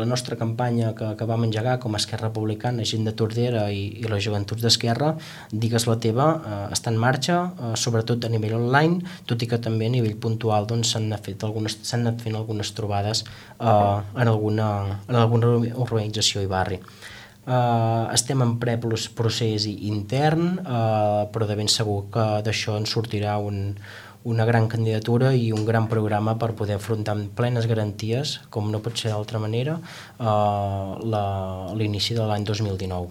la nostra campanya que vam engegar com a Esquerra Republicana, Gent de Tordera i les Joventuts d'Esquerra, Digues la teva, està en marxa, sobretot a nivell online, tot i que també a nivell puntual doncs, s'han anat fent algunes trobades en alguna organització i barri. Estem en procés intern, però de ben segur que d'això en sortirà una gran candidatura i un gran programa per poder afrontar amb plenes garanties, com no pot ser d'altra manera, l'inici de l'any 2019.